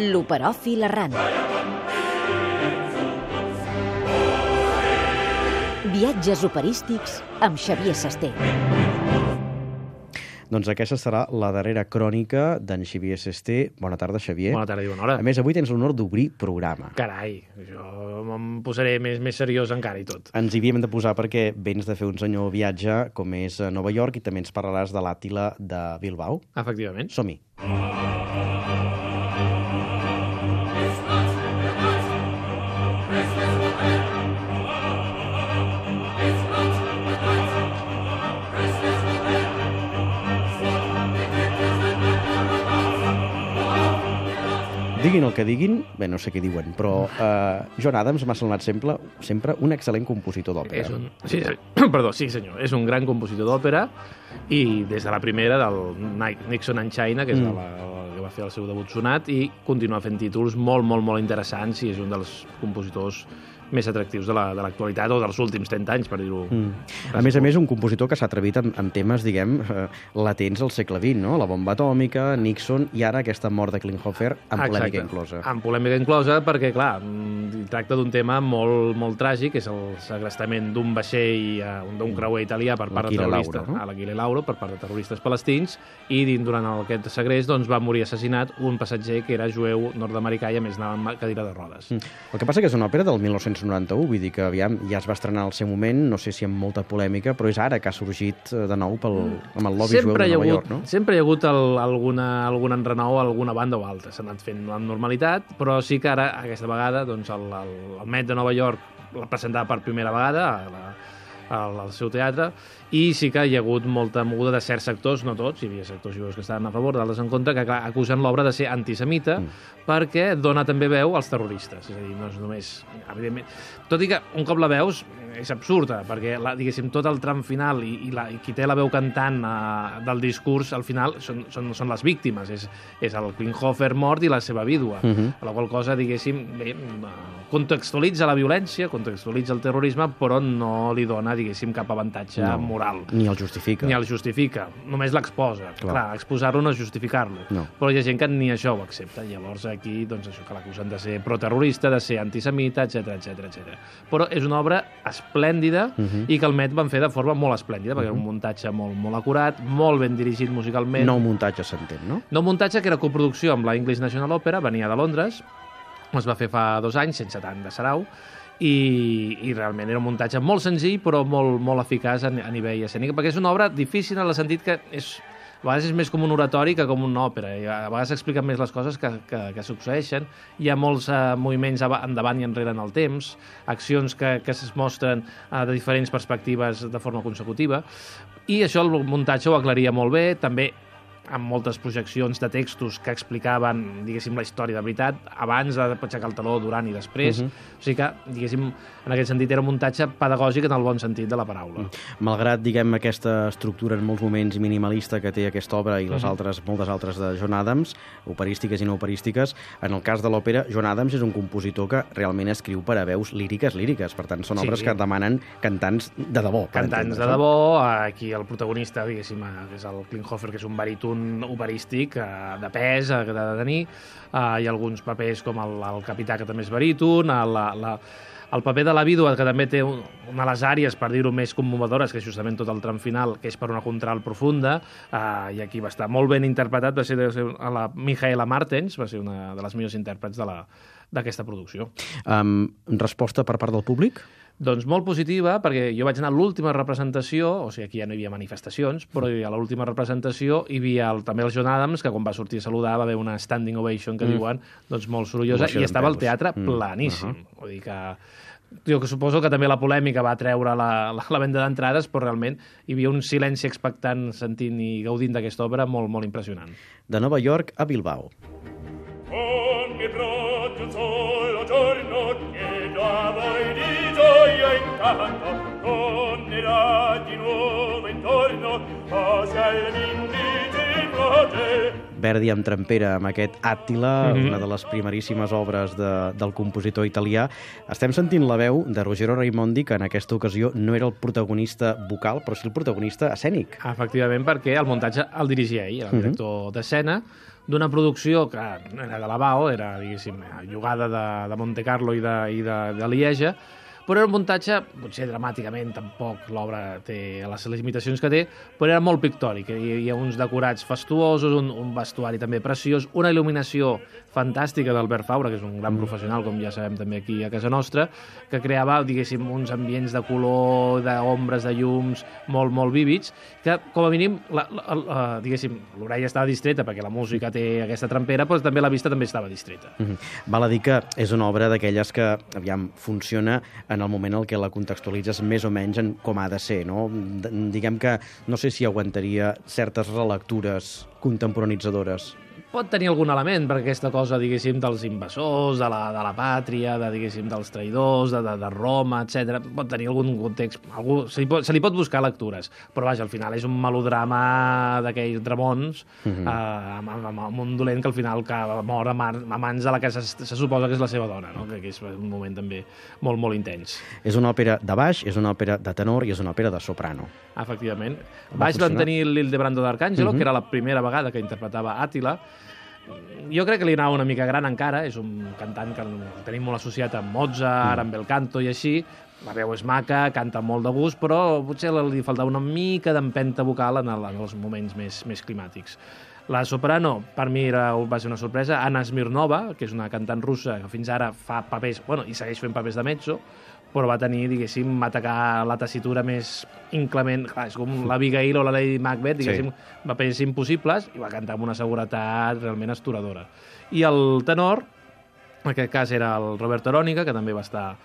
L'operòfil errant. Viatges operístics amb Xavier Sesté. Doncs aquesta serà la darrera crònica d'en Xavier Sesté. Bona tarda, Xavier. Bona tarda i bona hora. A més, avui tens l'honor d'obrir programa. Carai, jo em posaré més seriós encara i tot. Ens hi havíem de posar perquè vens de fer un senyor viatge com és a Nova York i també ens parlaràs de l'Àtila de Bilbao. Efectivament. Som-hi. Diguin el que diguin, bé, no sé què diuen, però John Adams m'ha semblat sempre un excel·lent compositor d'òpera. Sí, senyor, és un gran compositor d'òpera i des de la primera del Nixon and China, que és la que va fer el seu debut sonat, i continua fent títols molt interessants i és un dels compositors més atractius de l'actualitat o dels últims 30 anys, per dir-ho. A més, un compositor que s'ha atrevit amb temes, diguem, latents al segle XX, no? La bomba atòmica, Nixon i ara aquesta mort de Klinghoffer amb polèmica inclosa. Amb polèmica inclosa perquè, clar, tracta d'un tema molt tràgic, és el segrestament d'un vaixell, d'un creuer italià per part de terroristes, l'Achille Lauro, per part de terroristes palestins, i durant aquest segrest va morir assassinat un passatger que era jueu nord-americà i a més anava amb cadira de rodes. El que passa que és una òpera del 1991, vull dir que aviam, ja es va estrenar al seu moment, no sé si amb molta polèmica, però és ara que ha sorgit de nou amb el lobby jueu de Nova York, no? Sempre hi ha hagut algun enrenou a alguna banda o altra. S'ha anat fent amb normalitat, però sí que ara, aquesta vegada, el Met de Nova York la presentava per primera vegada al seu teatre, i sí que hi ha hagut molta moguda de certs sectors, no tots, hi havia sectors jueus que estaven a favor, d'altres en contra, que acusen l'obra de ser antisemita perquè dona també veu als terroristes. És a dir, no és només... Evidentment, tot i que un cop la veus és absurda, perquè diguéssim, tot el tram final i qui té la veu cantant del discurs, al final, són les víctimes. És el Klinghoffer mort i la seva vídua. A la qual cosa, diguéssim, contextualitza la violència, contextualitza el terrorisme, però no li dona, diguéssim, cap avantatge moral. Ni el justifica. Ni el justifica. Només l'exposa. Clar, exposar-lo no és justificar-lo. No. Però hi ha gent que ni això ho accepta. Llavors aquí, això que l'acusen de ser proterrorista, de ser antisemita, etc. Però és una obra esplèndida i que el Met van fer de forma molt esplèndida, perquè era un muntatge molt acurat, molt ben dirigit musicalment. Nou muntatge, s'entén, no? Nou muntatge que era coproducció amb la English National Opera, venia de Londres, es va fer fa 2 anys, sense tant de sarau, i realment era un muntatge molt senzill però molt eficaç a nivell escènic, perquè és una obra difícil en el sentit que a vegades és més com un oratori que com una òpera, i a vegades s'expliquen més les coses que succeeixen. Hi ha molts moviments endavant i enrere en el temps, accions que es mostren de diferents perspectives de forma consecutiva, i això el muntatge ho aclaria molt bé, també amb moltes projeccions de textos que explicaven, diguéssim, la història de veritat, abans de aixecar el taló, durant i després. O sigui que, diguéssim, en aquest sentit era un muntatge pedagògic en el bon sentit de la paraula. Malgrat, diguem, aquesta estructura en molts moments minimalista que té aquesta obra i moltes altres de John Adams, operístiques i no operístiques, en el cas de l'òpera, John Adams és un compositor que realment escriu per a veus líriques. Per tant, són obres que demanen cantants de debò. Cantants de debò. Aquí el protagonista, diguéssim, és el Klinghoffer, que és un baríton operístic de pes, que ha de tenir. Hi ha alguns papers com el capità, que també és baríton, el paper de la vídua, que també té una de les àrees, per dir-ho, més commovedores, que és justament tot el tram final, que és per una contralt profunda, i aquí va estar molt ben interpretat, va ser la Michaela Martens, va ser una de les millors intèrprets d'aquesta producció. Resposta per part del públic? Doncs molt positiva, perquè jo vaig anar a l'última representació, o sigui, aquí ja no hi havia manifestacions, però a l'última representació hi havia també el John Adams, que quan va sortir a saludar va haver una standing ovation, que diuen, doncs molt sorollosa, i estava el teatre planíssim. Vull dir que... Jo que suposo que també la polèmica va treure la venda d'entrades, però realment hi havia un silenci expectant, sentint i gaudint d'aquesta obra molt impressionant. De Nova York a Bilbao. Verdi amb Trampera, amb aquest Àttila, una de les primeríssimes obres del compositor italià. Estem sentint la veu de Ruggero Raimondi, que en aquesta ocasió no era el protagonista vocal, però sí el protagonista escènic. Efectivament, perquè el muntatge el dirigia ell, el director d'escena, d'una producció que era de la BAO, era, diguéssim, llogada de Monte Carlo i de Lieja, però era un muntatge, potser dramàticament tampoc l'obra té les limitacions que té, però era molt pictòric. Hi havia uns decorats fastuosos, un vestuari també preciós, una il·luminació fantàstica d'Albert Faura, que és un gran professional, com ja sabem també aquí a casa nostra, que creava, diguéssim, uns ambients de color, d'ombres, de llums, molt, molt vívids, que, com a mínim, diguéssim, l'orella estava distreta perquè la música té aquesta trampera, però també la vista també estava distreta. Val a dir que és una obra d'aquelles que, aviam, funciona en el moment en què la contextualitzes més o menys en com ha de ser, no? Diguem que no sé si aguantaria certes relectures contemporanitzadores. Pot tenir algun element, perquè aquesta cosa, diguéssim, dels invasors, de la pàtria, diguéssim, dels traïdors, de Roma, etc. Pot tenir algun context, se li pot buscar lectures, però vaja, al final és un melodrama d'aquells Dramons, amb un dolent que al final mor a mans de la que se suposa que és la seva dona, no? Que és un moment també molt, molt intens. És una òpera de baix, és una òpera de tenor i és una òpera de soprano. Efectivament. Baix van tenir l'Ildebrando d'Arcangelo, que era la primera vegada que interpretava Àttila. Jo crec que li anava una mica gran encara, és un cantant que el tenim molt associat amb Mozart, amb el canto i així, la veu és maca, canta molt de gust, però potser li faltava una mica d'empenta vocal en els moments més climàtics. La soprano, per mi va ser una sorpresa, Anna Smirnova, que és una cantant russa que fins ara fa papers, bueno, i segueix fent papers de mezzo, però va tenir, diguéssim, atacar la tessitura més inclement. Clar, és com l'Abigail o la Lady Macbeth, diguéssim, papers impossibles, i va cantar amb una seguretat realment astoradora. I el tenor, en aquest cas era el Roberto Arónica, que també va estar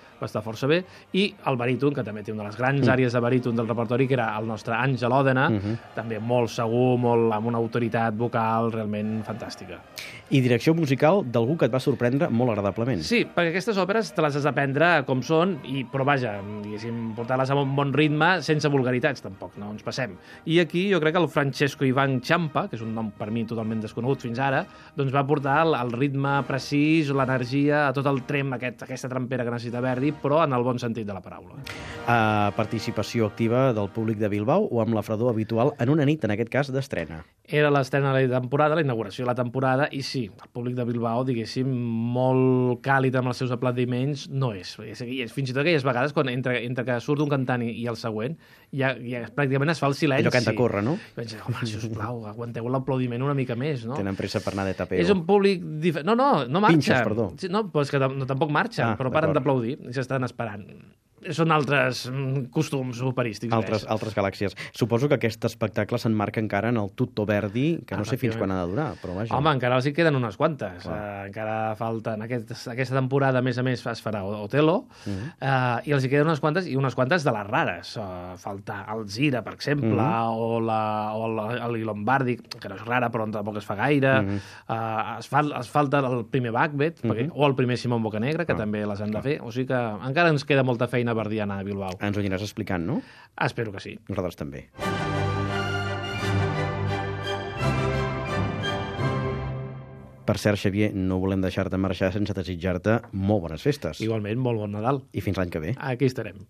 força bé, i el baríton, que també té una de les grans àrees de baríton del repertori, que era el nostre Àngel Òdena, també molt segur, amb una autoritat vocal realment fantàstica. I direcció musical d'algú que et va sorprendre molt agradablement. Sí, perquè aquestes òperes te les has d'aprendre com són, però vaja, diguéssim, portar-les a un bon ritme sense vulgaritats, tampoc, no ens passem. I aquí jo crec que el Francesco Ivan Ciampa, que és un nom per mi totalment desconegut fins ara, doncs va portar el ritme precís, l'energia, a tot el trem, aquesta trampera que necessita Verdi, però en el bon sentit de la paraula. Participació activa del públic de Bilbao o amb la fredor habitual en una nit, en aquest cas, d'estrena? Era l'estrena de la temporada, la inauguració de la temporada, i sí, el públic de Bilbao, diguéssim, molt càlid amb els seus aplaudiments, no és. Fins i tot aquelles vegades, quan entre que surt un cantant i el següent, ja pràcticament es fa el silenci. Allò canta corre, no? I vaig dir, home, sisplau, aguanteu l'aplaudiment una mica més, no? Tenen pressa per anar de tapeo. És un públic diferent. No marxa. Pinxes, perdó. No, però és que tampoc marxen, però paren d'aplaudir i s'estan esperant. Són altres costums operístics. Altres galàxies. Suposo que aquest espectacle s'emmarca encara en el Tutto Verdi, que no sé fins quan ha de durar, però vaja. Home, encara els hi queden unes quantes. Encara falten... Aquesta temporada, a més es farà Otello, i els hi queden unes quantes, i unes quantes de les rares. Falta Alzira, per exemple, o el Lombardi, que no és rara, però tampoc es fa gaire. Es falta el primer Macbeth, o el primer Simón Bocanegra, que també les han de fer. O sigui que encara ens queda molta feina verdiana a Bilbao. Ens ho aniràs explicant, no? Espero que sí. Nosaltres també. Per cert, Xavier, no volem deixar-te marxar sense desitjar-te molt bones festes. Igualment, molt bon Nadal. I fins l'any que ve. Aquí estarem.